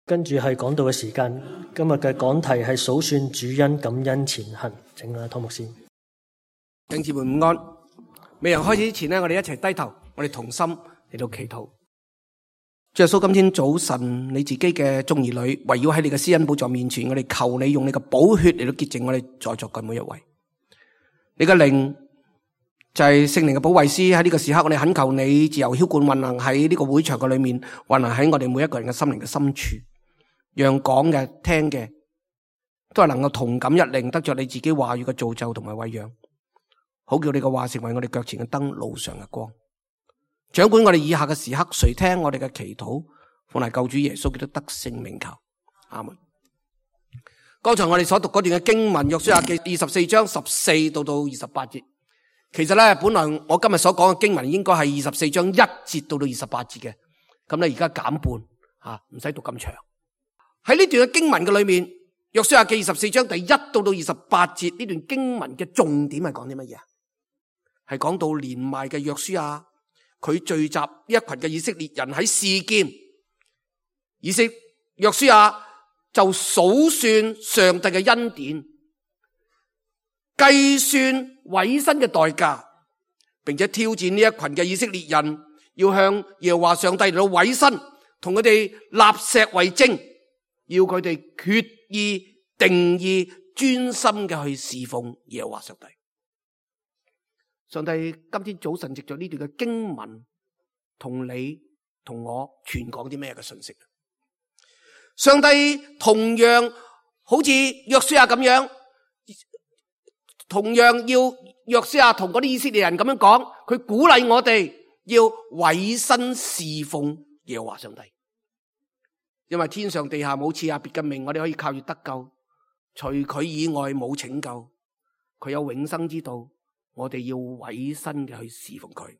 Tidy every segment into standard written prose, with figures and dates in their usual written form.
跟住係講道嘅時間，今日嘅講題係數算主恩感恩前行，請湯牧師。弟兄姊妹午安。未人開始之前呢，我哋一齊低頭，我哋同心嚟到祈禱。主耶穌，今天早晨你自己嘅眾兒女圍繞喺你嘅施恩寶座面前，我哋求你用你嘅寶血嚟到潔淨我哋在座嘅每一位。你嘅靈就係聖靈嘅保惠師，喺呢個時刻我哋懇求你自由澆灌運行喺呢個會場嘅裏面，運行喺我哋每一個人嘅心靈嘅深處，讓講嘅聽嘅都係能夠同感一靈，得着你自己話語嘅造就同埋餵養，好叫你嘅話成為我哋腳前嘅燈，路上嘅光。掌管我哋以下嘅時刻，垂聽我哋嘅祈禱，奉係救主耶穌基督得勝名求，阿門。剛才我哋所讀嗰段嘅經文，約書亞記24章14到28節。其實咧，本來我今日所講嘅經文應該係24章1節到28節嘅，咁咧而家減半，唔使讀咁長。喺呢段嘅經文嘅裏面，約書亞記24章第1到28節呢段經文嘅重點係講啲乜嘢？係講到年邁嘅約書亞，佢聚集一群嘅以色列人喺示劍，約書亞就數算上帝嘅恩典，計算委身嘅代價，並且挑戰呢一群嘅以色列人，要向耶和華上帝嚟到委身，同佢哋立石為證，要佢哋決意定意專心嘅去侍奉耶和華上帝。上帝今天早晨藉着呢段嘅經文，同你同我傳講啲咩嘅信息？上帝同樣好似約書亞咁樣，同樣要約書亞同嗰啲以色列人咁樣講，佢鼓勵我哋要委身侍奉耶和華上帝，因為天上地下冇賜下別嘅名，我哋可以靠住得救，除佢以外冇拯救，佢有永生之道，我哋要委身嘅去侍奉佢。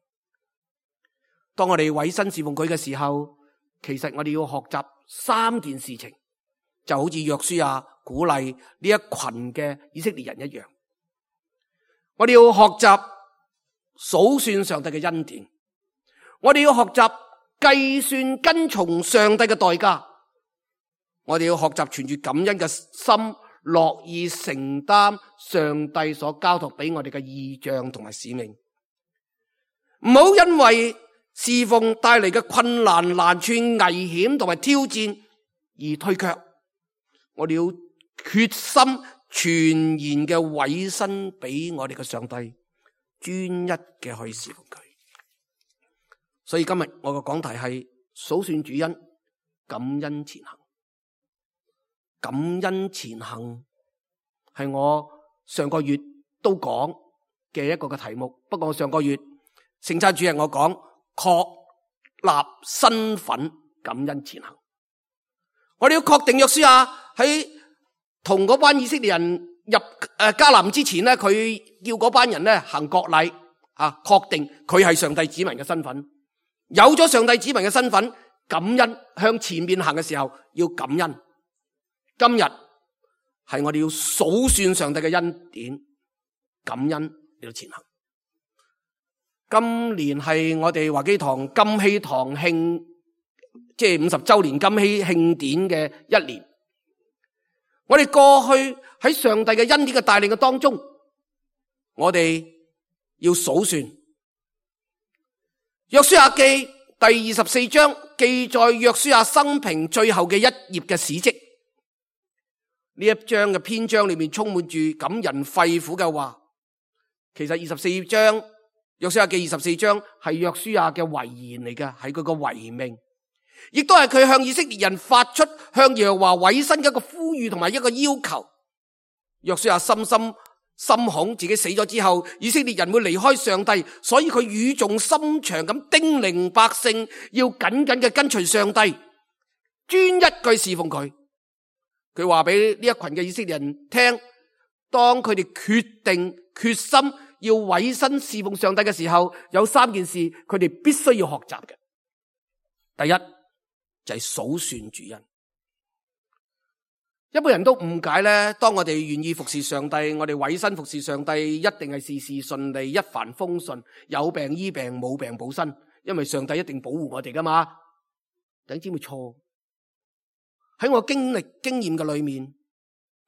當我哋委身侍奉佢嘅時候，其實我哋要學習3件事情，就好似約書亞鼓勵呢一群嘅以色列人一樣。我哋要學習數算上帝嘅恩典，我哋要學習計算跟從上帝嘅代價，我哋要學習存住感恩嘅心，樂意承擔上帝所交託俾我哋嘅異象同埋使命。唔好因為侍奉帶嚟嘅困難、難處、危險同埋挑戰而退卻，我哋要決心全然嘅委身俾我哋嘅上帝，專一嘅去侍奉佢。所以今日我嘅講題係數算主恩，感恩前行。感恩前行係我上個月都講嘅一個嘅題目，不過我上個月聖餐主日我講確立身份，感恩前行。我哋要確定約書亞喺同嗰班以色列人入迦南之前咧，佢叫嗰班人咧行國禮，確定佢係上帝子民嘅身份。有咗上帝子民嘅身份，感恩向前面行嘅時候要感恩。今日係我哋要數算上帝嘅恩典，感恩嚟到前行。今年係我哋華基堂金禧堂慶，即係50周年金禧慶典嘅一年。我哋過去喺上帝嘅恩典嘅帶領嘅當中，我哋要數算約書亞記第24章記載約書亞生平最後嘅一頁嘅史蹟。呢一章嘅篇章裏面充滿住感人肺腑嘅話。其實24章約書亞記24章係約書亞嘅遺言嚟嘅，係佢個遺命，亦都係佢向以色列人發出向耶和華委身嘅一個呼籲同埋一個要求。約書亞深深心恐自己死咗之後，以色列人會離開上帝，所以佢語重心長咁叮嚀百姓要緊緊嘅跟隨上帝，專一去侍奉佢。佢話俾呢一群嘅以色列人聽，當佢哋決定決心要委身侍奉上帝嘅時候，有3件事佢哋必須要學習嘅。第一就係數算主恩。一般人都誤解咧，當我哋願意服侍上帝，我哋委身服侍上帝，一定係事事順利，一帆風順，有病醫病，冇病補身，因為上帝一定保護我哋噶嘛。弟兄姊妹錯，喺我經驗嘅裏面，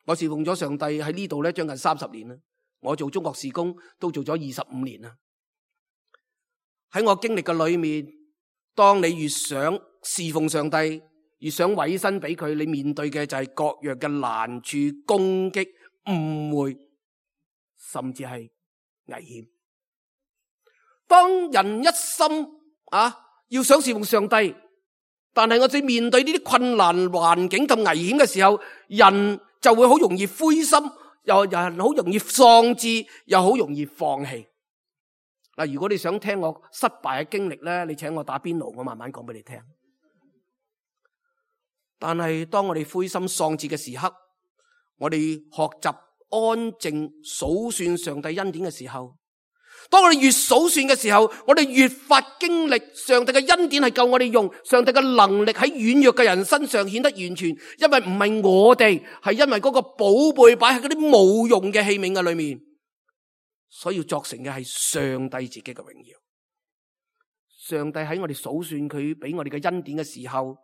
我侍奉咗上帝喺呢度咧將近30年啦。我做中國事工都做咗25年啦。喺我經歷嘅裏面，當你越想侍奉上帝，越想委身俾佢，你面對嘅就係各樣嘅難處、攻擊、誤會，甚至係危險。當人一心要想侍奉上帝，但係我哋面對呢啲困難環境咁危險嘅時候，人就會好容易灰心，又人好容易喪志，又好容易放棄。嗱，如果你想聽我失敗嘅經歷咧，你請我打邊爐，我慢慢講俾你聽。但係當我哋灰心喪志嘅時刻，我哋學習安靜數算上帝恩典嘅時候，當我哋越數算嘅時候，我哋越發經歷上帝嘅恩典係夠我哋用，上帝嘅能力喺軟弱嘅人身上顯得完全，因為唔係我哋，係因為嗰個寶貝擺喺嗰啲冇用嘅器皿嘅裏面，所以要作成嘅係上帝自己嘅榮耀。上帝喺我哋數算佢俾我哋嘅恩典嘅時候，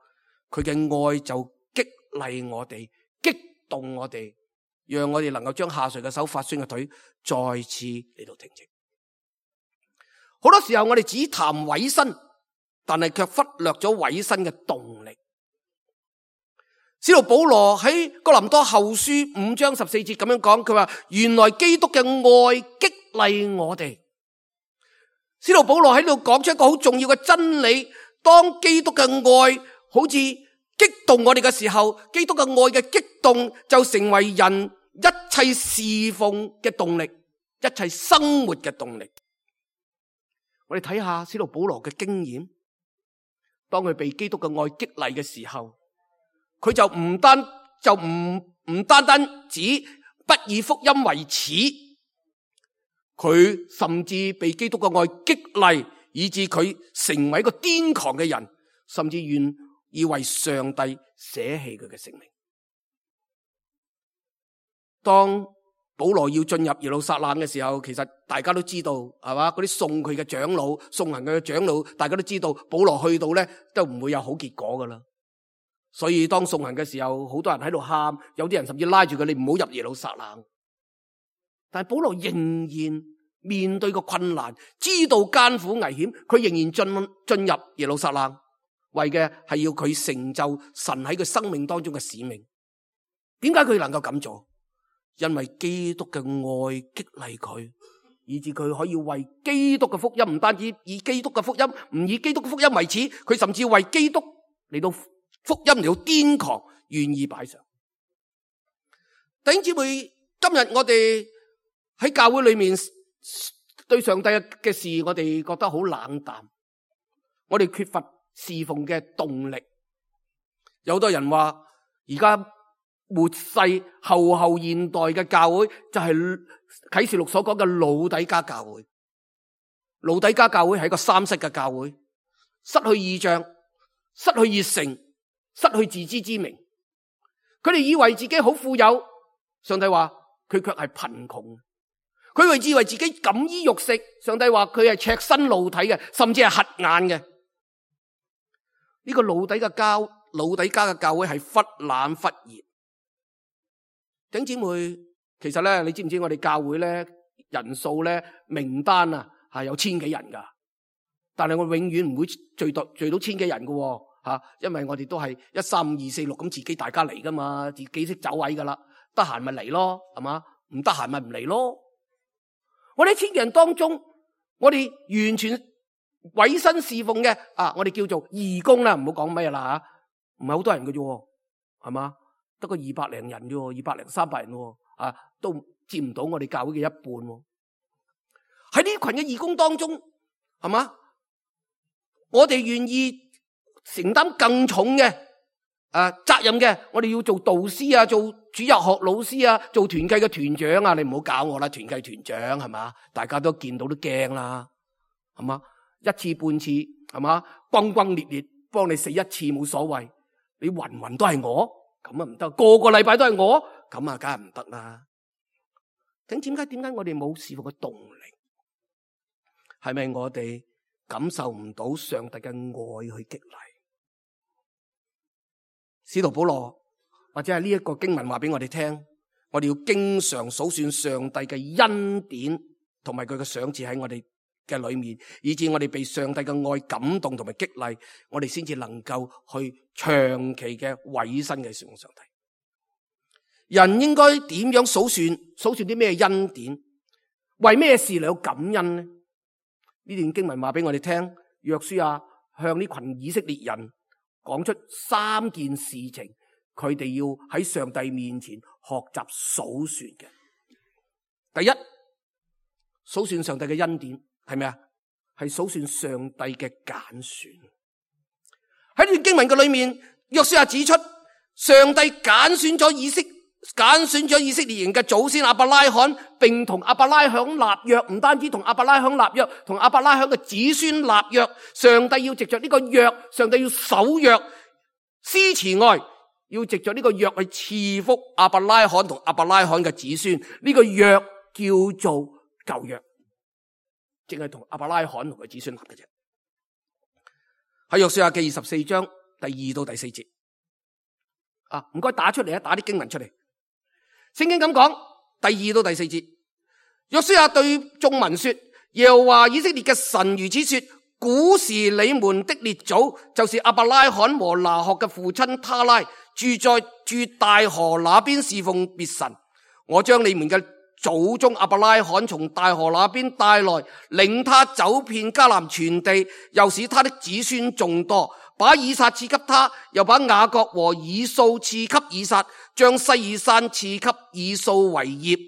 佢嘅愛就激勵我哋，激動我哋，讓我哋能夠將下垂嘅手、發酸嘅腿再次嚟到挺直。好多時候我哋只談委身，但係卻忽略咗委身嘅動力。使徒保羅喺哥林多後書5章14節咁樣講，佢話原來基督嘅愛激勵我哋。使徒保羅喺度講出一個好重要嘅真理，當基督嘅愛好似激動我哋嘅時候，基督嘅愛嘅激動就成為人一切侍奉嘅動力，一切生活嘅動力。我哋睇下使徒保羅嘅經驗，當佢被基督嘅愛激勵嘅時候，佢就唔單單只不以福音為恥，佢甚至被基督嘅愛激勵，以致佢成為一個癲狂嘅人，甚至願意為上帝捨棄佢嘅性命。當保羅要進入耶路撒冷嘅時候，其實大家都知道係嘛？嗰啲送佢嘅長老、送行佢嘅長老，大家都知道保羅去到咧都唔會有好結果噶啦。所以當送行嘅時候，好多人喺度喊，有啲人甚至拉住佢，你唔好入耶路撒冷。但係保羅仍然面對個困難，知道艱苦危險，佢仍然進入耶路撒冷，為嘅係要佢成就神喺佢生命當中嘅使命。點解佢能夠咁做？因為基督嘅愛激勵佢，以致佢可以為基督嘅福音，唔單止以基督嘅福音，唔以基督嘅福音為恥，佢甚至為基督嚟到福音嚟到癲狂，願意擺上。弟兄姊妹，今日我哋喺教會裏面對上帝嘅事，我哋覺得好冷淡，我哋缺乏侍奉嘅動力。有好多人話而家末世後現代嘅教會就係啟示錄所講嘅老底嘉教會。老底嘉教會係一個三失嘅教會，失去異象，失去熱誠，失去自知之明。佢哋以為自己好富有，上帝話佢卻係貧窮。佢以為自己錦衣玉食，上帝話佢係赤身露體嘅，甚至係瞎眼嘅。呢個老底嘉嘅教會係忽冷忽熱。弟兄姊妹，其實咧，你知唔知我哋教會咧人數咧名單啊係有1000幾人噶，但係我永遠唔會聚到1000幾人噶吓，因為我哋都係1、3、5、2、4、6咁自己大家嚟噶嘛，自己識走位噶啦，得閒咪嚟咯，係嘛？唔得閒咪唔嚟咯。我哋喺1000人當中，我哋完全委身侍奉嘅我哋叫做義工啦，唔好講咩啦吓，唔係好多人嘅啫，係嘛？得個200零人啫，200零300人都佔唔到我哋教會嘅一半。喺呢群嘅義工當中，係嘛？我哋願意承擔更重嘅責任嘅，我哋要做導師啊，做主日學老師啊，做團契嘅團長啊，你唔好搞我啦，團契團長係嘛？大家都見到都驚啦，係嘛？一次半次係嘛？轟轟烈烈幫你死一次冇所謂，你云都係我。咁啊唔得，個禮拜都係我，咁啊梗係唔得啦。點解我哋冇侍奉嘅動力？係咪我哋感受唔到上帝嘅愛去激勵？使徒保羅或者係呢一個經文話俾我哋聽，我哋要經常數算上帝嘅恩典同埋佢嘅賞賜喺我哋嘅裏面，以致我哋被上帝嘅愛感動同埋激勵，我哋先至能夠去長期嘅委身嘅侍奉上帝。人應該點樣數算啲咩恩典？為咩事嚟到感恩呢？呢段經文話俾我哋聽，約書亞向呢群以色列人講出3件事情，佢哋要喺上帝面前學習數算嘅。第一，數算上帝嘅恩典係咩啊？係數算上帝嘅揀選。喺呢段經文嘅裏面，約書亞指出，上帝揀選咗以色列人嘅祖先亞伯拉罕，並同亞伯拉罕立約，唔單止同亞伯拉罕立約，同亞伯拉罕嘅子孫立約。上帝要藉着呢個約，上帝要守約，施慈愛，要藉着呢個約去賜福亞伯拉罕同亞伯拉罕嘅子孫。呢個約叫做舊約，淨係同亞伯拉罕同佢子孫立嘅啫。喺約書亞記24章第2到第4節，唔該打出嚟啊，打啲經文出嚟。聖經咁講，第2到第4節，約書亞對眾民說：耶和華以色列嘅神如此說，古時你們的列祖，就是亞伯拉罕和拿鶴嘅父親他拉，住大河那邊侍奉別神。我將你們嘅祖宗亞伯拉罕從大河那邊帶來，領他走遍迦南全地，又使他的子孫眾多，把以撒賜給他，又把雅各和以掃賜給以撒，將西珥山賜給以掃為業。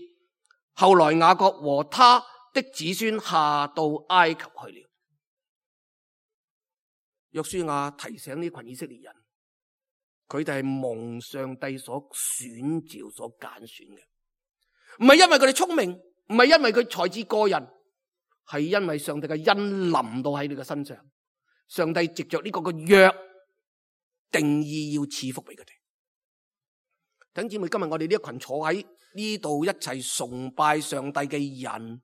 後來雅各和他的子孫下到埃及去了。約書亞提醒呢群以色列人，佢哋係蒙上帝所選召、所揀選嘅，唔係因為佢哋聰明，唔係因為佢才智過人，係因為上帝嘅恩臨到喺你嘅身上。上帝藉着呢個嘅約定義要賜福俾佢哋。弟兄姊妹，今日我哋呢一群坐喺呢度一齊崇拜上帝嘅人，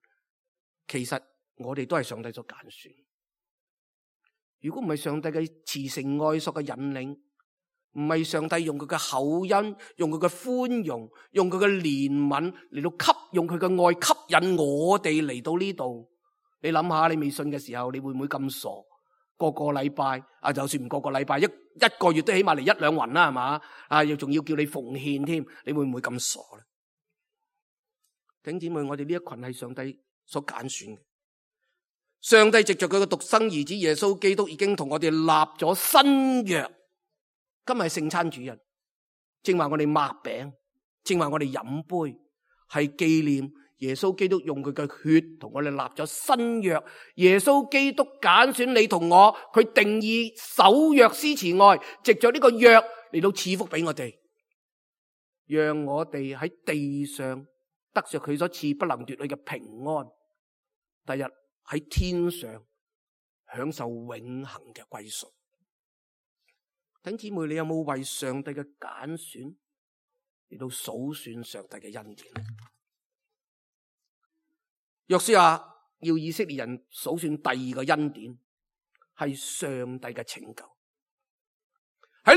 其實我哋都係上帝所揀選。如果唔係上帝嘅慈繩愛索嘅引領，唔係上帝用佢嘅厚恩，用佢嘅寬容，用佢嘅憐憫嚟到用佢嘅愛吸引我哋嚟到呢度。你諗下，你未信嘅時候，你會唔會咁傻？個禮拜就算唔個禮拜，一個月都起碼嚟1-2環啦，係嘛？又仲要叫你奉獻添，你會唔會咁傻咧？弟兄姊妹，我哋呢一群係上帝所揀選嘅。上帝藉着佢嘅獨生兒子耶穌基督，已經同我哋立咗新約。今日係聖餐主日，正話我哋擘餅，正話我哋飲杯，係紀念耶穌基督用佢嘅血同我哋立咗新約。耶穌基督揀選你同我，佢定義守約施慈愛，藉着呢個約嚟到賜福俾我哋，讓我哋喺地上得着佢所賜不能奪去嘅平安，第日喺天上享受永恆嘅歸屬。弟兄姊妹，你有冇為上帝嘅揀選嚟到數算上帝嘅恩典？約書亞要以色列人數算第2個恩典，係上帝嘅拯救。喺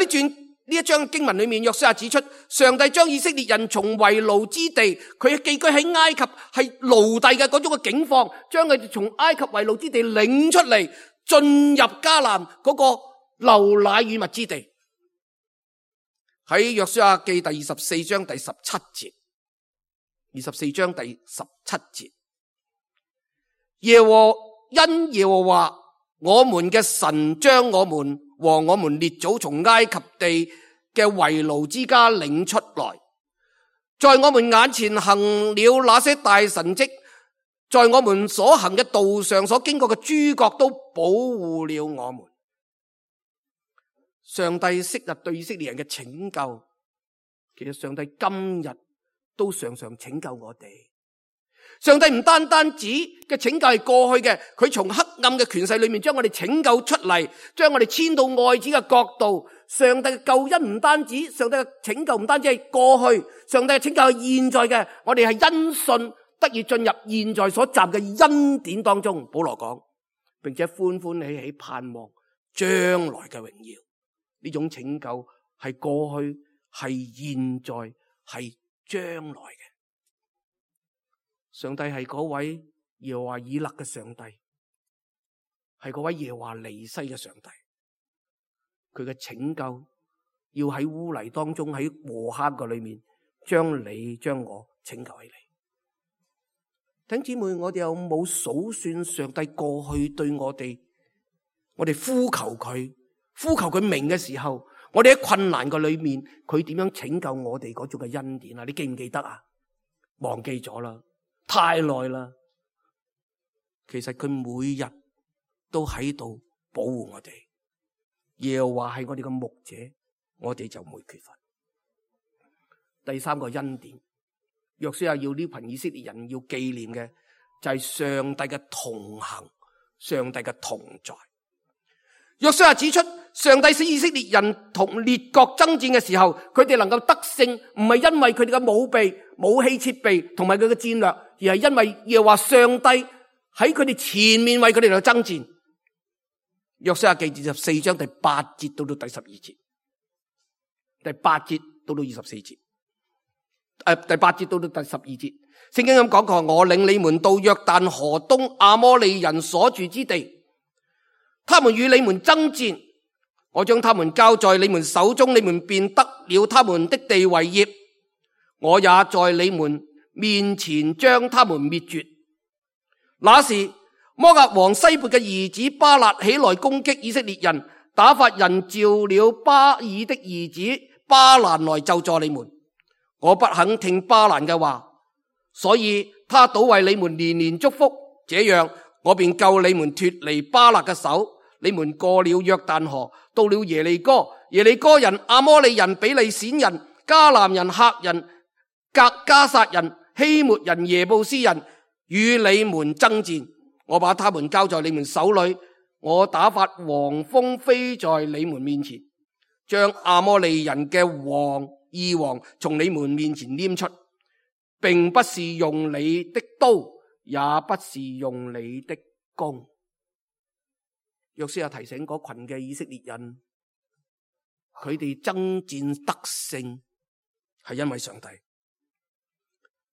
呢一章經文裏面，約書亞指出，上帝將以色列人從為奴之地，佢寄居喺埃及係奴隸嘅嗰種嘅境況，將佢哋從埃及為奴之地領出嚟，進入迦南嗰個流奶與蜜之地。喺約書亞記第24章第17節，24章第17節，耶和華我們嘅神將我們和我們列祖從埃及地嘅為奴之家領出來，在我們眼前行了那些大神蹟，在我們所行嘅道上所經過嘅諸國都保護了我們。上帝昔日對以色列人嘅拯救，其實上帝今日都常常拯救我哋。上帝唔單止嘅拯救係過去嘅，佢從黑暗嘅權勢裏面將我哋拯救出嚟，將我哋遷到愛子嘅國度。上帝嘅救恩唔單止，上帝嘅拯救唔單止係過去，上帝嘅拯救係現在嘅。我哋係因信得以進入現在所站嘅恩典當中。保羅講，並且歡歡喜喜盼望將來嘅榮耀。呢種拯救係過去，係現在，係將來嘅。上帝係嗰位耶和華以勒嘅上帝，係嗰位耶和華尼西嘅上帝。佢嘅拯救要喺污泥當中，喺禍坑嘅裏面，將你將我拯救起嚟。弟兄姊妹，我哋有冇數算上帝過去對我哋呼求佢名嘅時候，我哋喺困難嘅裏面，佢點樣拯救我哋嗰種嘅恩典啊？你記唔記得啊？忘記咗啦，太耐啦。其實佢每日都喺度保護我哋。耶和華係我哋嘅牧者，我哋就唔會缺乏。第三個恩典，約書亞要呢群以色列人要紀念嘅就係上帝嘅同行，上帝嘅同在。約書亞指出，上帝使以色列人同列國爭戰嘅時候，佢哋能夠得勝，唔係因為佢哋嘅武器設備同埋佢嘅戰略，而係因為耶和華上帝喺佢哋前面為佢哋嚟爭戰。約書亞記24章第8節到第12節，第8節到24節，第8節到第12節，聖經咁講過：我領你們到約旦河東亞摩利人所住之地，他們與你們爭戰，我將他們交在你們手中，你們便得了他們的地為業。我也在你們面前將他們滅絕。那時摩押王西撥嘅兒子巴勒起來攻擊以色列人，打發人召了巴爾的兒子巴蘭來咒詛你們。我不肯聽巴蘭嘅話，所以他倒為你們連連祝福，這樣我便救你們脫離巴勒嘅手。你們過了約旦河，到了耶利哥，耶利哥人、亞摩利人、比利閃人、迦南人、赫人、革迦撒人、希末人、耶布斯人與你們爭戰。我把他們交在你們手裏，我打發黃蜂飛在你們面前，將亞摩利人嘅二王從你們面前拈出，並不是用你的刀，也不是用你的弓。約書亞提醒嗰群嘅以色列人，佢哋爭戰得勝係因為上帝。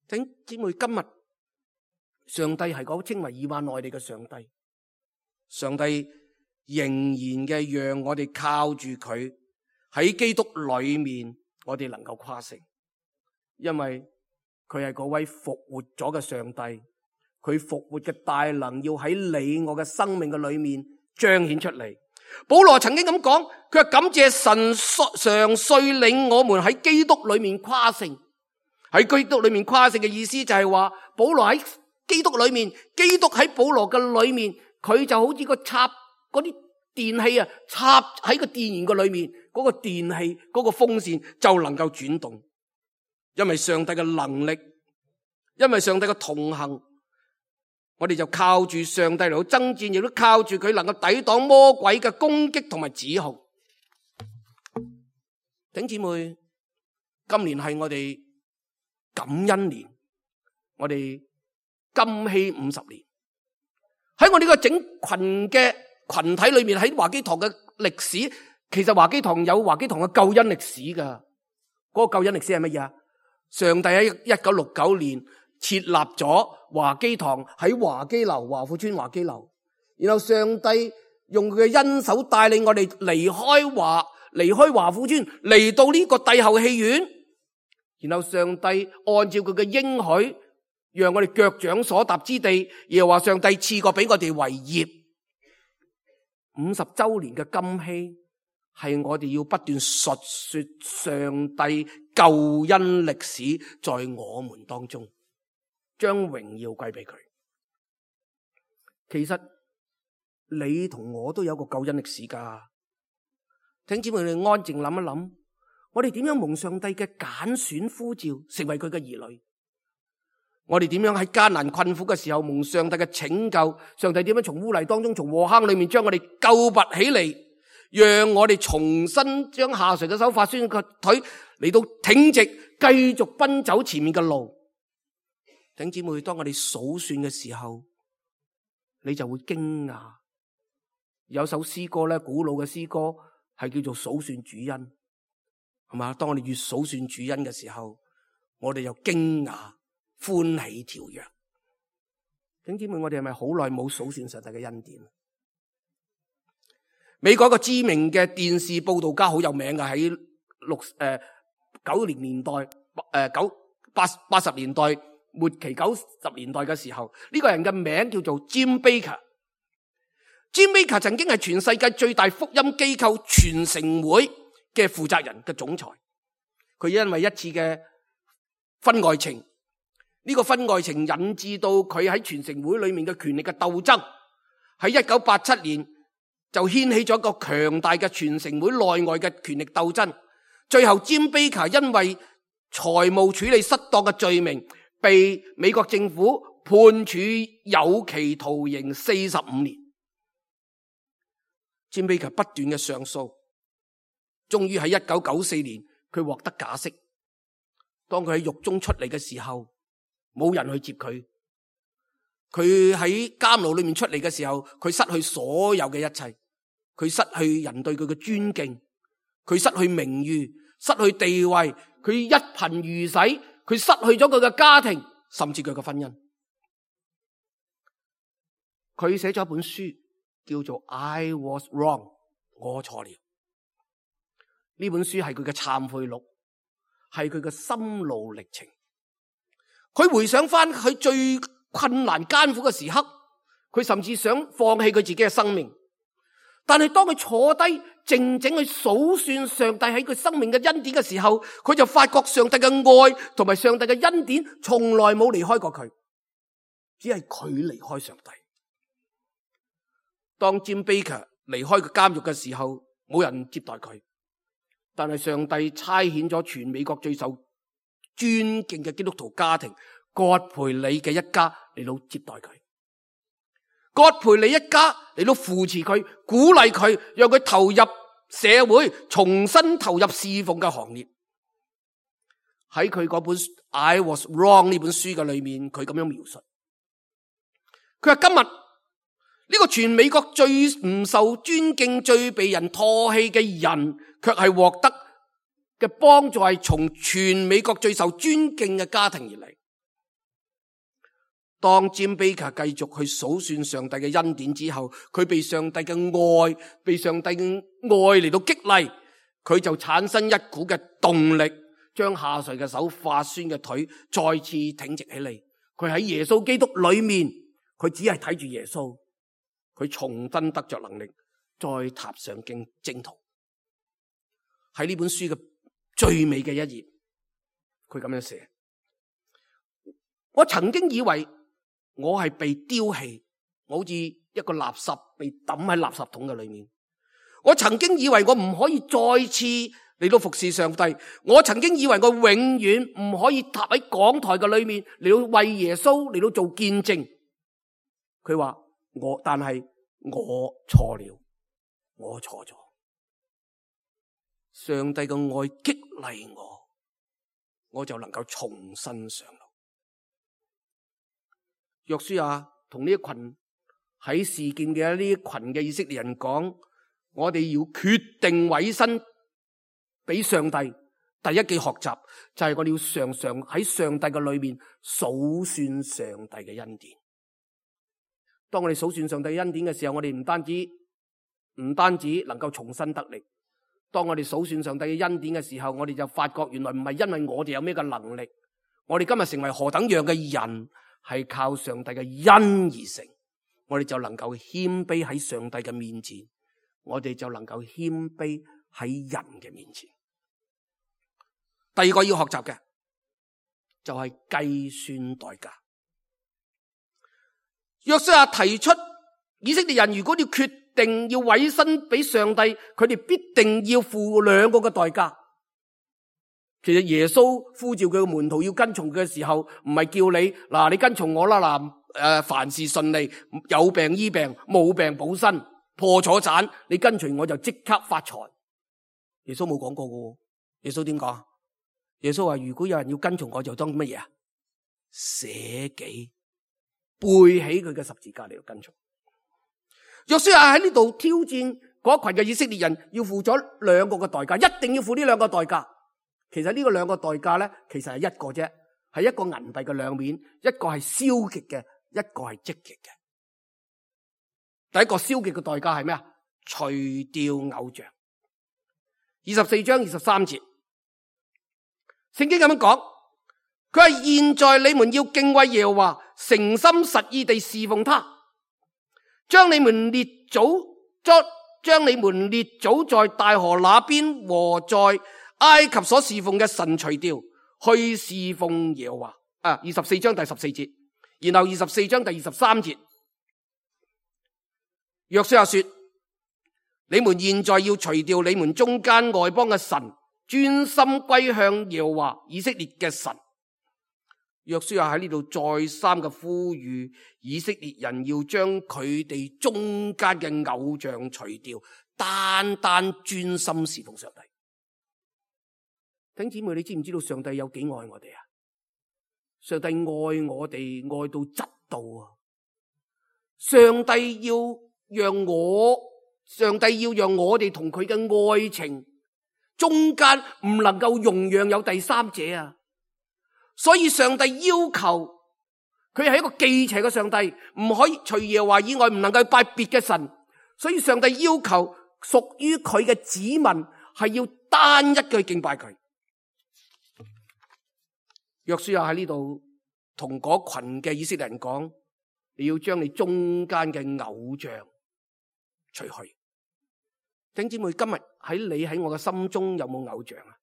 弟兄姊妹，今日上帝係嗰稱為以馬內利嘅上帝，上帝仍然嘅讓我哋靠住佢喺基督裏面，我哋能夠誇勝，因為佢係嗰位復活咗嘅上帝，佢復活嘅大能要喺你我嘅生命嘅裏面彰顯出嚟。保羅曾經咁講，佢話感謝神常率領我們喺基督裏面誇勝。喺基督裏面誇勝嘅意思就係話，保羅喺基督裏面，基督喺保羅嘅裏面，佢就好似個插嗰啲電器啊，插喺個電源嘅裏面，嗰個電器嗰個風扇就能夠轉動。因為上帝嘅能力，因為上帝嘅同行，我哋就靠住上帝嚟到爭戰，亦都靠住佢能夠抵擋魔鬼嘅攻擊同埋指控。弟兄姊妹，今年係我哋感恩年，我哋金禧50年。喺我呢個整群嘅群體裏面，喺華基堂嘅歷史，其實華基堂有華基堂嘅救恩歷史噶。嗰個救恩歷史係乜嘢啊？上帝喺1969年設立咗華基堂喺華基樓華富村華基樓，然後上帝用佢嘅恩手帶領我哋離開華富村，嚟到呢個帝后戲院，然後上帝按照佢嘅應許，讓我哋腳掌所踏之地，又話上帝賜過俾我哋為業。50周年嘅金禧係我哋要不斷述說上帝救恩歷史在我們當中，將榮耀歸俾佢。其實你同我都有個救恩歷史噶，請姊妹你安靜諗一諗，我哋點樣蒙上帝嘅揀選呼召，成為佢嘅兒女？我哋點樣喺艱難困苦嘅時候蒙上帝嘅拯救？上帝點樣從污泥當中，從禍坑裏面將我哋救拔起嚟，讓我哋重新將下垂嘅手、發酸嘅腿嚟到挺直，繼續奔走前面嘅路。弟兄姊妹，當我哋數算嘅時候，你就會驚訝。有首詩歌咧，古老嘅詩歌係叫做數算主恩。係嘛？當我哋越數算主恩嘅時候，我哋又驚訝歡喜跳躍。弟兄姊妹，我哋係咪好耐冇數算上帝嘅恩典？美國一個知名嘅電視報道家好有名嘅，喺90年代80年代末期90年代嘅時候，呢個人嘅名叫做 Jim Baker。Jim Baker 曾經係全世界最大福音機構全城會嘅負責人嘅總裁。佢因為一次嘅婚外情，呢個婚外情引致到佢喺全城會裏面嘅權力嘅鬥爭，喺1987年就掀起咗一個強大嘅全城會內外嘅權力鬥爭。最後 Jim Baker 因為財務處理失當嘅罪名，被美國政府判處有期徒刑45年。Jim Baker 不斷嘅上訴，終於喺1994年佢獲得假釋。當佢喺獄中出嚟嘅時候，冇人去接佢。佢喺監牢裏面出嚟嘅時候，佢失去所有嘅一切。佢失去人對佢嘅尊敬，佢失去名譽，失去地位，佢一貧如洗，佢失去咗佢嘅家庭，甚至佢嘅婚姻。佢寫咗一本書叫做 I Was Wrong， 我錯了。呢本書係佢嘅懺悔錄，係佢嘅心路歷程。佢回想翻佢最困難艱苦嘅時刻，佢甚至想放棄佢自己嘅生命。但係當佢坐低靜靜去數算上帝喺佢生命嘅恩典嘅時候，佢就發覺上帝嘅愛同埋上帝嘅恩典從來冇離開過佢，只係佢離開上帝。當 Jim Baker 離開個監獄嘅時候，冇人接待佢，但係上帝差遣咗全美國最受尊敬嘅基督徒家庭葛培理嘅一家嚟到接待佢。葛培理一家嚟到扶持佢，鼓勵佢，讓佢投入社會，重新投入侍奉嘅行列。喺佢嗰本 I Was Wrong 呢本書嘅裏面，佢咁樣描述，佢話今日呢個全美國最唔受尊敬、最被人唾棄嘅人，卻係獲得嘅幫助係從全美國最受尊敬嘅家庭而嚟。當 Jim Baker 繼續去數算上帝嘅恩典之後，佢被上帝嘅愛嚟到激勵，佢就產生一股嘅動力，將下垂嘅手、發酸嘅腿再次挺直起嚟。佢喺耶穌基督裏面，佢只係睇住耶穌，佢重新得着能力，再踏上征途。喺呢本書嘅最尾嘅一頁，佢咁樣寫：我曾經以為我係被丟棄，我好似一個垃圾被抌喺垃圾桶嘅裏面。我曾經以為我唔可以再次嚟到服侍上帝。我曾經以為我永遠唔可以踏喺講台嘅裏面嚟到為耶穌嚟到做見證。佢話但係我錯了，我錯咗。上帝嘅愛激勵我，我就能夠重新上路。約書亞同呢一群喺示劍嘅呢一群嘅以色列人講，我哋要決定委身俾上帝。第一句學習就係我哋要常常喺上帝嘅裏面數算上帝嘅恩典。當我哋數算上帝嘅恩典嘅時候，我哋唔單止能夠重新得力。當我哋數算上帝嘅恩典嘅時候，我哋就發覺原來唔係因為我哋有咩嘅能力，我哋今日成為何等樣嘅人，係靠上帝嘅恩而成。我哋就能夠謙卑喺上帝嘅面前，我哋就能夠謙卑喺人嘅面前。第二個要學習嘅就係計算代價。約書亞提出以色列人如果要決定要委身俾上帝，佢哋必定要付兩個嘅代價。其實耶穌呼召佢嘅門徒要跟從佢嘅時候，唔係叫你跟從我啦，凡事順利，有病醫病，冇病補身，破咗產，你跟隨我就即刻發財。耶穌冇講過嘅。耶穌點講？耶穌話如果有人要跟從我，就當乜嘢啊？捨己，背起佢嘅十字架嚟到跟從。約書亞喺呢度挑戰嗰群嘅以色列人，要付咗兩個嘅代價，一定要付呢兩個代價。其實呢個兩個代價咧，其實係一個啫，係一個銀幣嘅兩面，一個係消極嘅，一個係積極嘅。第一個消極嘅代價係咩啊？除掉偶像。24章23節，聖經咁樣講，佢話現在你們要敬畏耶和華，誠心實意地侍奉他，將你們列祖在大河那邊和在埃及所侍奉嘅神除掉，去侍奉耶和華。24章第14節，然後24章第23節，約書亞說，你們現在要除掉你們中間外邦嘅神，專心歸向耶和華以色列嘅神。約書亞喺呢度再三嘅呼籲以色列人要將佢哋中間嘅偶像除掉，單單專心侍奉上帝。弟兄姊妹，你知唔知道上帝有幾愛我哋啊？上帝愛我哋愛到窒到啊！上帝要讓我哋同佢嘅愛情中間唔能夠容讓有第三者啊！所以上帝要求佢係一個忌邪嘅上帝，唔可以除耶和華以外唔能夠拜別嘅神。所以上帝要求屬於佢嘅子民係要單一嘅敬拜佢。約書亞喺呢度同嗰群嘅以色列人講，你要將你中間嘅偶像除去。弟兄姊妹，今日喺我嘅心中有冇偶像啊？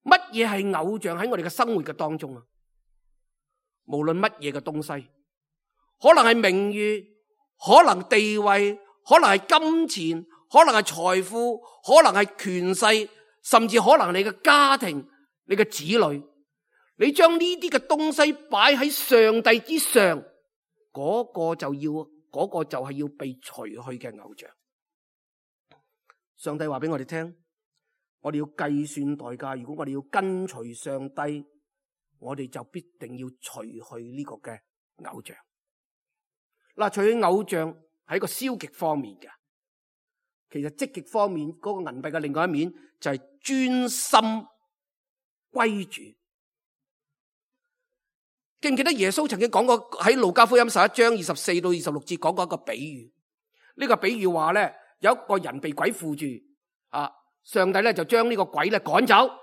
乜嘢係偶像喺我哋嘅生活嘅當中啊？無論乜嘢嘅東西，可能係名譽，可能地位，可能係金錢，可能係財富，可能係權勢，甚至可能你嘅家庭，你嘅子女，你將呢啲嘅東西擺喺上帝之上，嗰個就係要被除去嘅偶像。上帝話俾我哋聽，我哋要計算代價。如果我哋要跟隨上帝，我哋就必定要除去呢個嘅偶像。嗱，除去偶像係一個消極方面嘅，其實積極方面嗰個銀幣嘅另外一面就係專心歸主。記唔記得耶穌曾經講過喺路加福音11章24到26節講過一個比喻？呢個比喻話咧，有一個人被鬼附住，上帝咧就將呢個鬼咧趕走。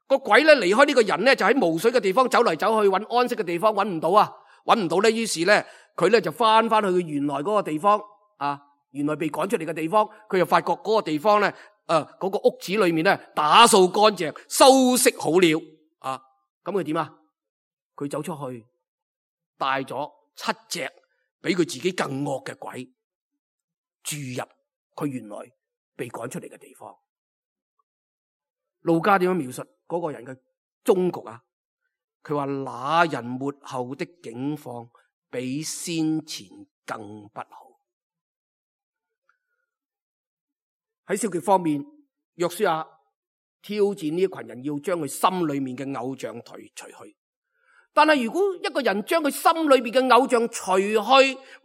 個鬼咧離開呢個人咧，就喺無水嘅地方走嚟走去，揾安息嘅地方，揾唔到啊，揾唔到咧，於是咧佢咧就翻去佢原來嗰個地方，原來被趕出嚟嘅地方，佢就發覺嗰個地方咧，嗰個屋子裏面咧打掃乾淨，收拾好了，咁佢點啊？佢走出去，帶咗7隻比佢自己更惡嘅鬼住入佢原來被趕出嚟嘅地方。路加點樣描述嗰個人嘅終局啊？佢話那人末後的境況比先前更不好。喺消極方面，約書亞挑戰呢一群人，要將佢心裏面嘅偶像除去。但係如果一個人將佢心裏面嘅偶像除去，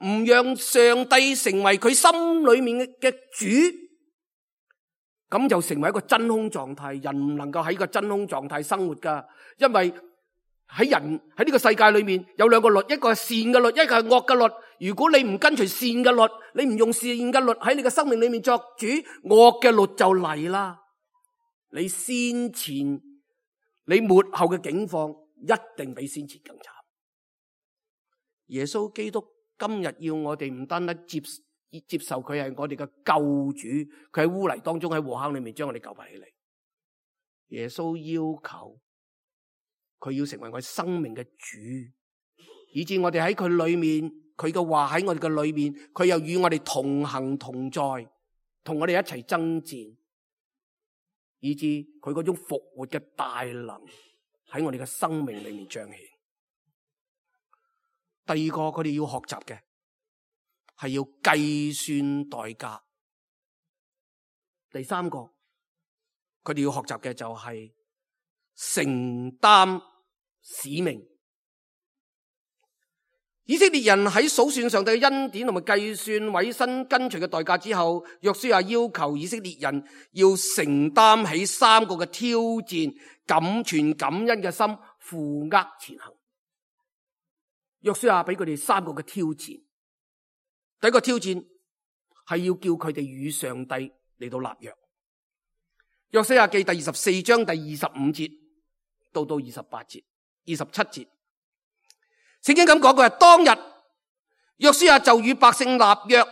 唔讓上帝成為佢心裏面嘅主，咁就成為一個真空狀態。人唔能夠喺個真空狀態生活噶，因為喺呢個世界裏面有兩個律，一個係善嘅律，一個係惡嘅律。如果你唔跟隨善嘅律，你唔用善嘅律喺你嘅生命裏面作主，惡嘅律就嚟啦。你先前你末後嘅境況一定比先前更慘。耶穌基督今日要我哋唔單單接受佢係我哋嘅救主，佢喺污泥當中喺禍坑裏面將我哋救拔起嚟。耶穌要求佢要成為我哋生命嘅主，以致我哋喺佢裏面，佢嘅話喺我哋嘅裏面，佢又與我哋同行同在，同我哋一齊爭戰，以致佢嗰種復活嘅大能喺我哋嘅生命裏面彰顯。第二個佢哋要學習嘅係要計算代價。第三個佢哋要學習嘅就係承擔使命。以色列人喺數算上帝嘅恩典同埋計算委身跟隨嘅代價之後，約書亞要求以色列人要承擔起3個嘅挑戰，存感恩嘅心，負軛前行。約書亞俾佢哋3個嘅挑戰。第一個挑戰係要叫佢哋與上帝嚟到立約。約書亞記第24章第25節到28節、27節。聖經咁講，佢話當日約書亞就與百姓立約，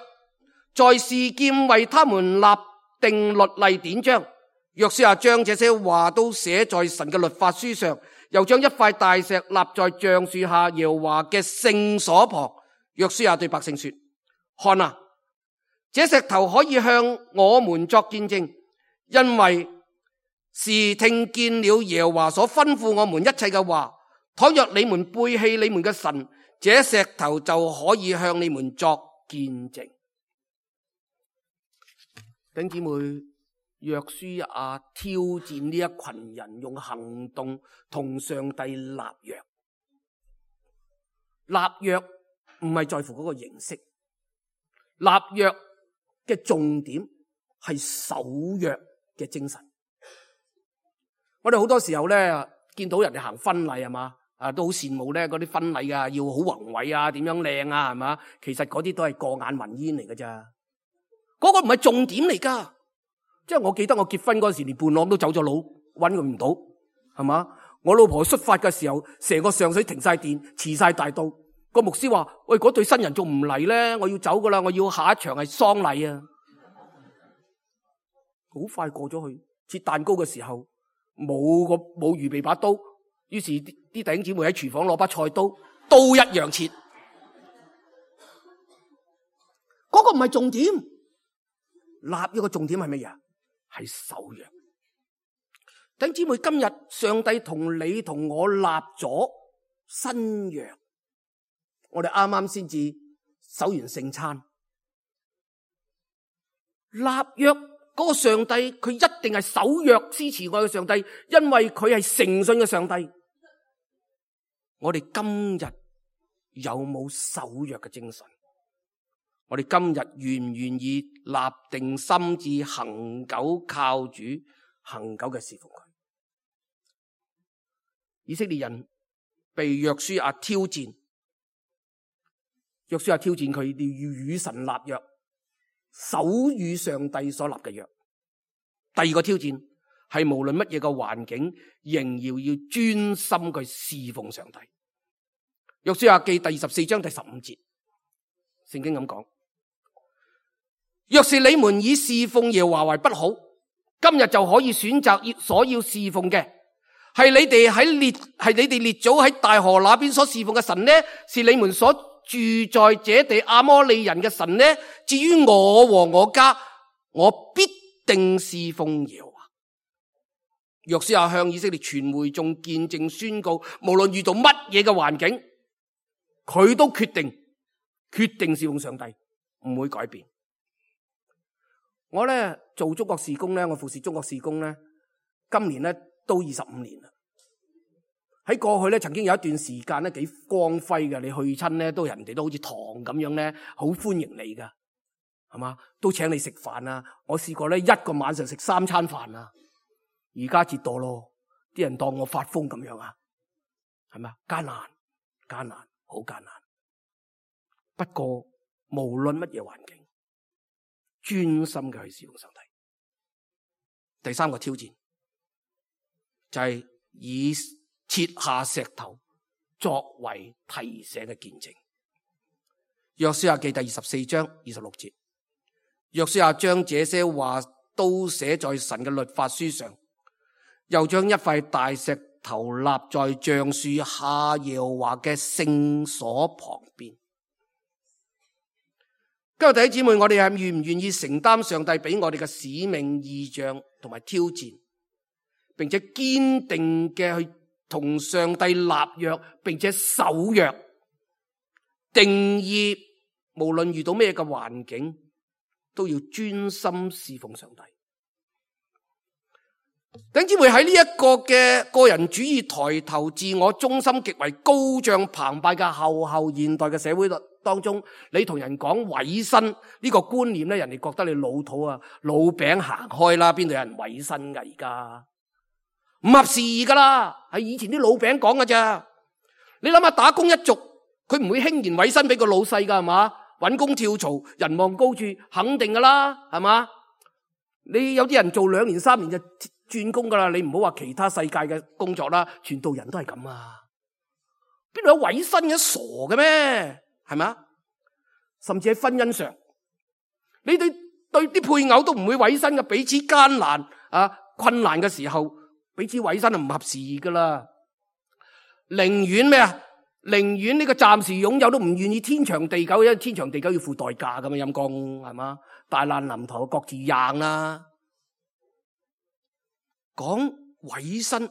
在示劍為他們立定律例典章。約書亞將這些話都寫在神嘅律法書上，又將一塊大石立在橡樹下耶和華嘅聖所旁。約書亞對百姓說：看啊，這石頭可以向我們作見證，因為是聽見了耶和華所吩咐我們一切嘅話。倘若你們背棄你們嘅神，這石頭就可以向你們作見證。弟兄姊妹，約書亞挑戰呢一群人用行動同上帝立約。立約唔係在乎嗰個形式，立約嘅重點係守約嘅精神。我哋好多時候咧見到人哋行婚禮係嘛？都好羨慕咧，嗰啲婚禮啊，要好宏偉啊，點樣靚啊，係嘛？其實嗰啲都係過眼雲煙嚟㗎咋，嗰個唔係重點嚟噶。即係我記得我結婚嗰時，連伴郎都走咗佬，搵佢唔到，係嘛？我老婆出發嘅時候，成個上水停晒電，遲晒大到。個牧師話：喂，嗰對新人仲唔嚟咧？我要走噶啦，我要下一場係喪禮啊！好快過咗去，切蛋糕嘅時候冇預備把刀。於是啲弟兄姊妹喺廚房攞把菜刀，刀一樣切。嗰個唔係重點，立約嘅重點係乜嘢？係守約。弟兄姊妹，今日上帝同你同我立咗新約，我哋啱啱先至守完聖餐。立約嗰個上帝，佢一定係守約支持我嘅上帝，因為佢係誠信嘅上帝。我哋今日有冇守約嘅精神？我哋今日願唔願意立定心志，恆久靠主，恆久嘅侍奉佢？以色列人被約書亞挑戰，約書亞挑戰佢哋要與神立約，守與上帝所立嘅約。第二個挑戰係無論乜嘢嘅環境，仍然要專心去侍奉上帝。約書亞記第24章第15節，聖經咁講：若是你們以侍奉耶和華為不好，今日就可以選擇所要侍奉嘅，係你哋列祖喺大河那邊所侍奉嘅神呢？是你們所住在這地亞摩利人嘅神呢？至於我和我家，我必定侍奉耶和華。約書亞向以色列全會眾見證宣告，無論遇到乜嘢嘅環境，佢都決定侍奉上帝，唔會改變。我咧做中國事工咧，我服侍中國事工咧，今年咧都25年啦。喺過去咧，曾經有一段時間咧幾光輝嘅，你去親咧都人哋都好似堂咁樣咧，好歡迎你噶，係嘛？都請你食飯啊！我試過咧一個晚上食3餐飯啊！而家折墮咯，啲人當我發瘋咁樣啊，係咪？艱難，好艱難。不過無論乜嘢環境，專心嘅去侍奉上帝。第三個挑戰就係以設下石頭作為提醒嘅見證。約書亞記第24章26節，約書亞將這些話都寫在神嘅律法書上，又將一塊大石頭立在橡樹下耶和華嘅聖所旁邊。今日弟兄姊妹，我哋係願唔願意承擔上帝俾我哋嘅使命、異象同埋挑戰，並且堅定嘅去同上帝立約，並且守約，定義無論遇到咩嘅環境，都要專心侍奉上帝。弟兄姊妹，喺呢一個嘅個人主義抬頭、自我中心極為高漲澎湃嘅後現代嘅社會當中，你同人講委身呢個觀念咧，人哋覺得你老土啊，老餅行開啦，邊度有人委身噶？而家唔合時宜噶啦，係以前啲老餅講噶咋。你諗下打工一族，佢唔會輕言委身俾個老細噶，係嘛？搵工跳槽，人望高處，肯定噶啦，係嘛？你有啲人做2年3年就轉工噶啦，你唔好話其他世界嘅工作啦，傳道人都係咁啊！邊度有委身嘅？傻嘅咩？係咪？甚至喺婚姻上，你對啲配偶都唔會委身嘅，彼此艱難困難嘅時候，彼此委身就唔合時宜噶啦。寧願咩啊？寧願呢個暫時擁有都唔願意天長地久，因為天長地久要付代價噶嘛，陰公係嘛？大難臨頭各自硬啦。講委身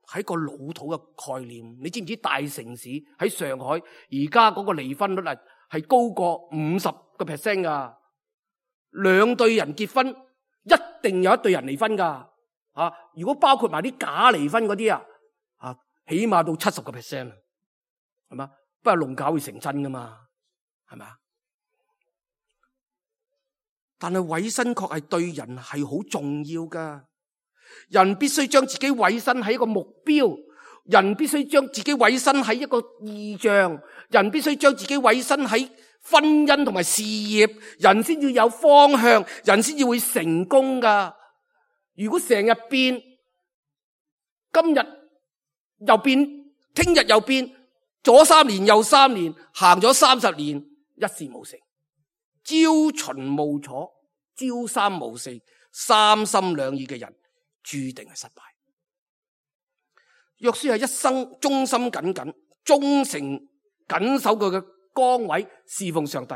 係一個老土嘅概念，你知唔知大城市喺上海而家嗰個離婚率係高過50% 噶？兩對人結婚一定有一對人離婚噶，如果包括埋啲假離婚嗰啲起碼到70%，係嘛？不過弄假會成真噶嘛，係咪？但係委身確係對人係好重要噶。人必須將自己委身喺一個目標，人必須將自己委身喺一個意象，人必須將自己委身喺婚姻同埋事業，人先至有方向，人先至會成功噶。如果成日變，今日又變，聽日又變，左3年右3年，行咗30年，一事無成，朝秦暮楚，朝三暮四，三心兩意嘅人注定係失敗。約書亞一生忠心耿耿，忠誠緊守佢嘅崗位，侍奉上帝。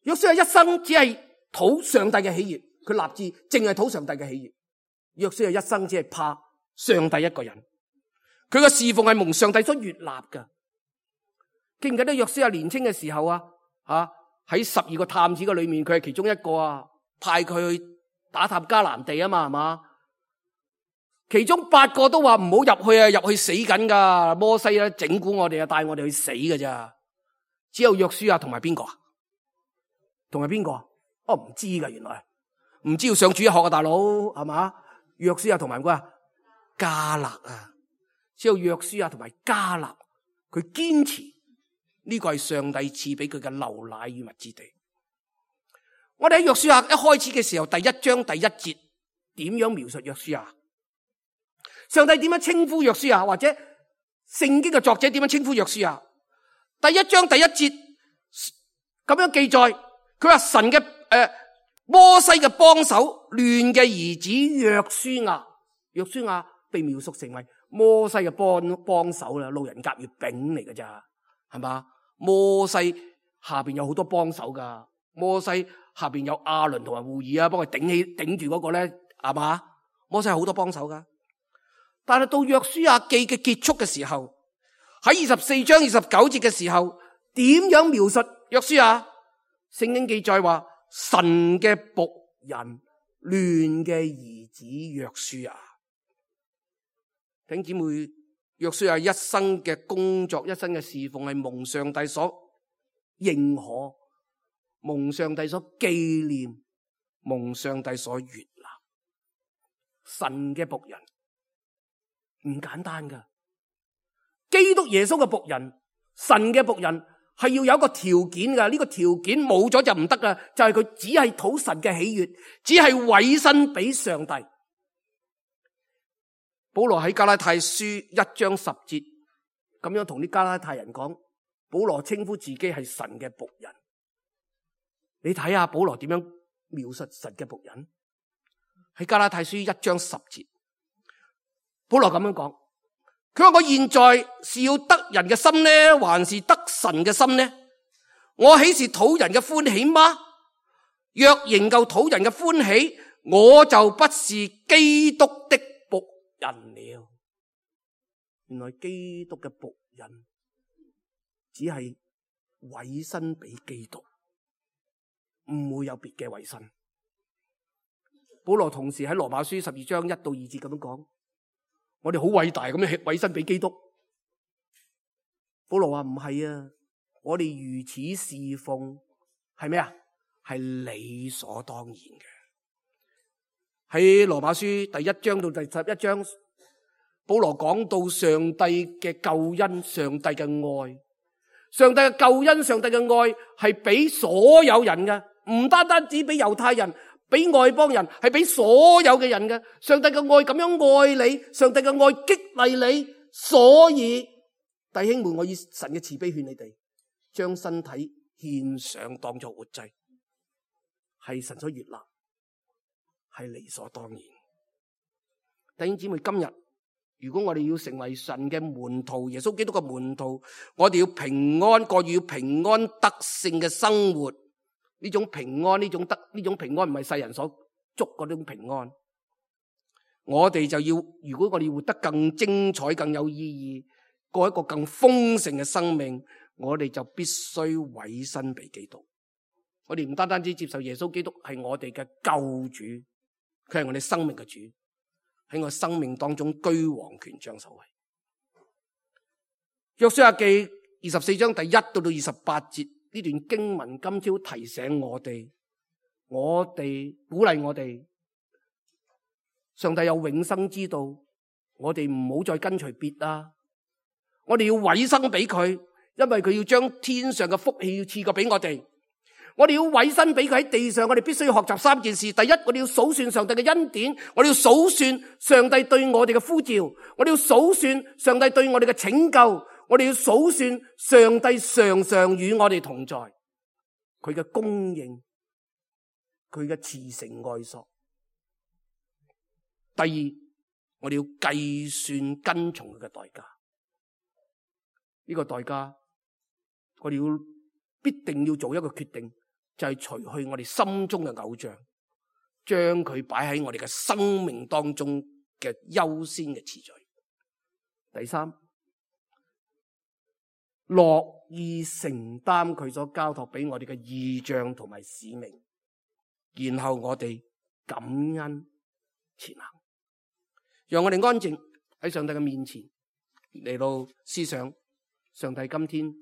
約書亞一生只係討上帝嘅喜悅，佢立志淨係討上帝嘅喜悅。約書亞一生只係怕上帝一個人，佢嘅侍奉係蒙上帝所悅納㗎。記唔記得約書亞年輕嘅時候喺12個探子嘅裏面，佢係其中一個派佢去打探迦南地啊嘛，係嘛？其中8個都話唔好入去啊，入去死緊噶。摩西咧整蠱我哋啊，帶我哋去死㗎咋。只有約書亞同埋邊個啊？同埋邊個啊？唔知噶，原來唔知要上主日學啊，大佬係嘛？約書亞同埋邊個啊？迦勒啊，只有約書亞同埋迦勒，佢堅持呢個係上帝賜俾佢嘅流奶與蜜之地。我哋喺約書亞一開始嘅時候，第1章第1節點樣描述約書亞？上帝點樣稱呼約書亞？或者聖經嘅作者點樣稱呼約書亞？第1章第1節咁樣記載，佢話神嘅摩西嘅幫手，嫩嘅兒子約書亞。約書亞被描述成為摩西嘅幫手啦，路人甲乙丙嚟㗎咋，係嘛？摩西下邊有好多幫手噶，摩西下邊有亞倫同埋戶珥幫佢頂住嗰個咧，係嘛？摩西有好多幫手噶。但係到約書亞記嘅結束嘅時候，喺24章29節嘅時候，點樣描述約書亞？聖經記載話，神嘅僕人，嫩嘅兒子約書亞。弟兄姊妹，約書亞一生嘅工作，一生嘅侍奉係蒙上帝所認可，蒙上帝所紀念，蒙上帝所悅納。神嘅僕人唔簡單噶，基督耶穌嘅僕人，神嘅僕人係要有一個條件噶，呢個條件冇咗就唔得噶，就係佢只係討神嘅喜悅，只係委身俾上帝。保羅喺加拉太書1章10節咁樣同啲加拉太人講，保羅稱呼自己係神嘅僕人。你睇下保羅點樣描述神嘅僕人？喺加拉太書1章10節，保羅咁樣講，佢話，我現在是要得人嘅心呢，還是得神嘅心呢？我豈是討人嘅歡喜嗎？若仍舊討人嘅歡喜，我就不是基督的僕人了。原來基督嘅僕人只係委身俾基督，唔會有別嘅委身。保羅同時喺羅馬書12章1到2節咁樣講，我哋好偉大咁樣委身俾基督。保羅話唔係啊，我哋如此侍奉係咩啊？係理所當然嘅。喺羅馬書第1章到第11章，保羅講到上帝嘅救恩，上帝嘅愛，上帝嘅救恩，上帝嘅愛係俾所有人嘅，唔單單只俾猶太人，俾外邦人，係俾所有嘅人嘅。上帝嘅愛咁樣愛你，上帝嘅愛激勵你，所以弟兄們，我以神嘅慈悲勸你哋，將身體獻上當作活祭，係神所悅納，係理所當然。弟兄姊妹，今日如果我哋要成為神嘅門徒，耶穌基督嘅門徒，我哋要平安過，要平安得勝嘅生活。呢種平安，呢種平安唔係世人所捉嗰種平安。我哋就要，如果我哋要活得更精彩、更有意義，過一個更豐盛嘅生命，我哋就必須委身俾基督。我哋唔單單只接受耶穌基督係我哋嘅救主，佢係我哋生命嘅主，喺我生命當中居王權掌首位。約書亞記24章第1到到28節，呢段經文今朝提醒我哋鼓勵我哋，上帝有永生之道，我哋唔好再跟隨別啦，我哋要委身俾佢，因為佢要將天上嘅福氣要賜過俾我哋。我哋要委身俾佢，喺地上，我哋必須要學習3件事。第一，我哋要數算上帝嘅恩典，我哋要數算上帝對我哋嘅呼召，我哋要數算上帝對我哋嘅拯救，我哋要數算上帝常常與我哋同在，佢嘅供應，佢嘅慈繩愛索。第二，我哋要計算跟從佢嘅代價，呢個代價我哋要必定要做一個決定，就係除去我哋心中嘅偶像，將佢擺喺我哋嘅生命當中嘅優先嘅次序。第三，樂意承擔佢所交託俾我哋嘅異象同埋使命，然後我哋感恩前行，讓我哋安靜喺上帝嘅面前嚟到思想上帝今天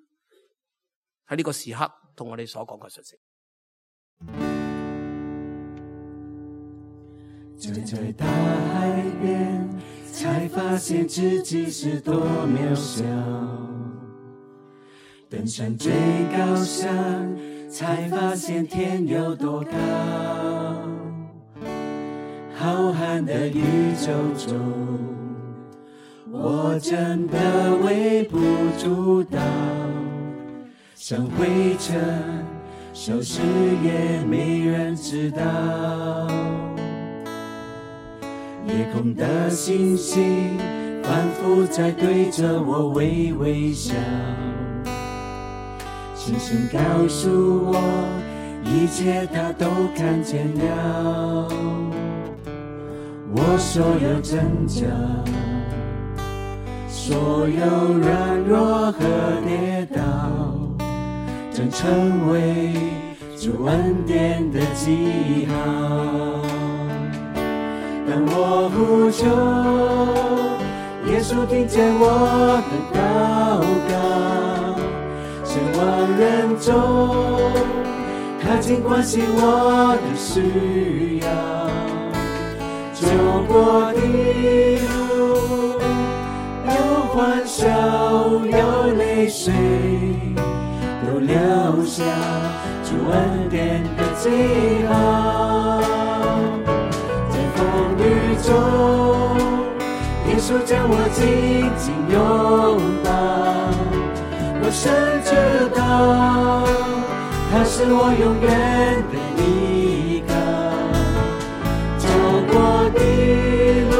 喺呢個時刻同我哋所講嘅信息。站在大海邊，才發現自己是多渺小，登上最高山，才發現天有多高，浩瀚的宇宙中，我真的微不足道，像灰塵消失也沒人知道，夜空的星星反覆在對着我微微笑，星星告訴我一切它都看見了，我所有掙扎，所有軟弱和跌倒，正成為主恩典的記號。當我呼求，耶穌聽見我的禱告，千萬人中，他盡關心我的需要，走過的路，有歡笑，有淚水，都留下主恩典的記號。在風雨中，耶穌將我緊緊擁抱，我深知道他是我永遠的依靠。走過的路，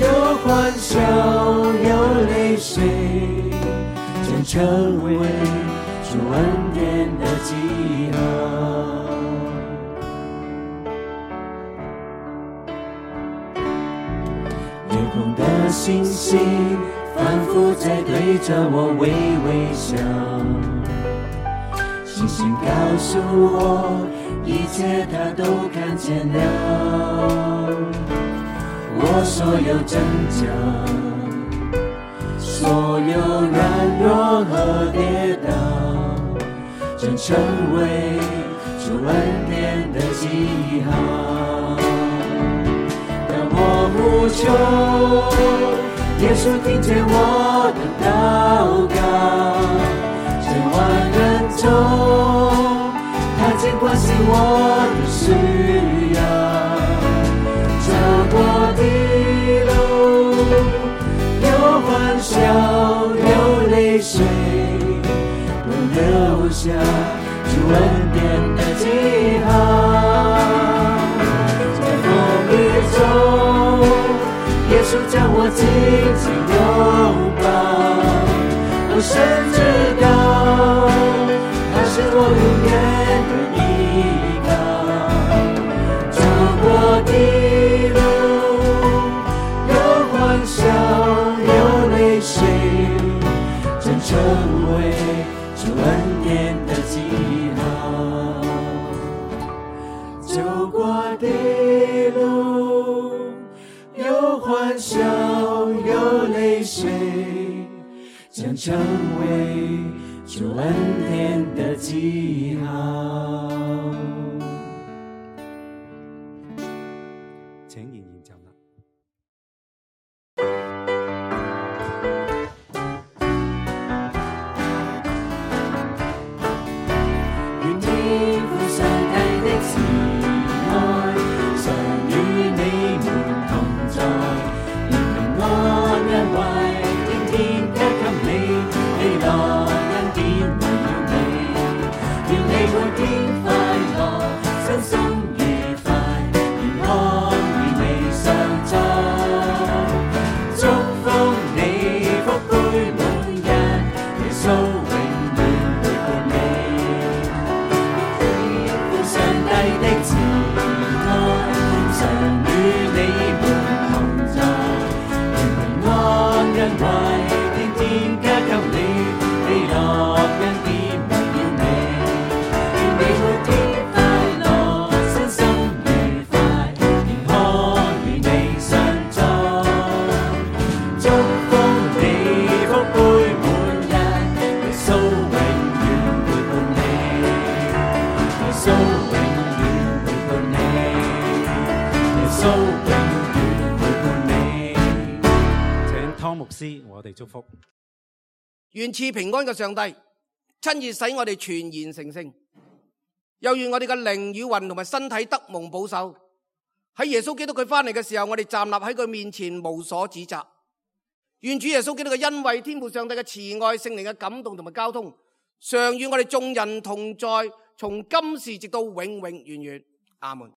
有歡笑，有淚水，將成為主恩典的記號。夜空的星星反覆在對着我微微笑，星星告訴我，一切他都看見了。我所有掙扎，所有軟弱和跌倒，真成為主恩典的記號。當我呼求，耶穌聽見我的禱告，千萬人中，他竟關心我的需要。走過的路，有歡笑，有淚水，都留下主恩典的記號。在風雨中，耶穌將我緊緊擁抱，我深知道他是我永遠的依靠。走過的路，有歡笑，有淚水，真成為主恩典的記號。走過的路，有歡笑，有淚水，將成為主恩典的記號。請仍然站立。願天父上帝的慈愛，常與你們同在，願平安恩惠，天天加給你，喜樂恩典圍繞你，願你每天快樂，身心愉快，平安與你相在，祝福你福杯滿溢，耶穌永遠陪伴你。天父上帝的慈愛，常與你們同在，願平安恩惠，天天加給你，喜樂恩典圍繞你，願你每天快樂，身心愉快，平安與你相在，祝福你福杯滿溢，耶穌永遠陪伴你，耶穌永遠陪伴你，耶穌永遠陪伴你。請湯牧師我哋祝福。願賜平安嘅上帝親自使我哋全然成聖，又願我哋嘅靈與魂同埋身體得蒙保守。喺耶穌基督佢翻嚟嘅時候，我哋站立喺佢面前無所指責。願主耶穌基督嘅恩惠、天父上帝嘅慈愛、聖靈嘅感動同埋交通，常與我哋眾人同在，從今時直到永永遠遠。阿門。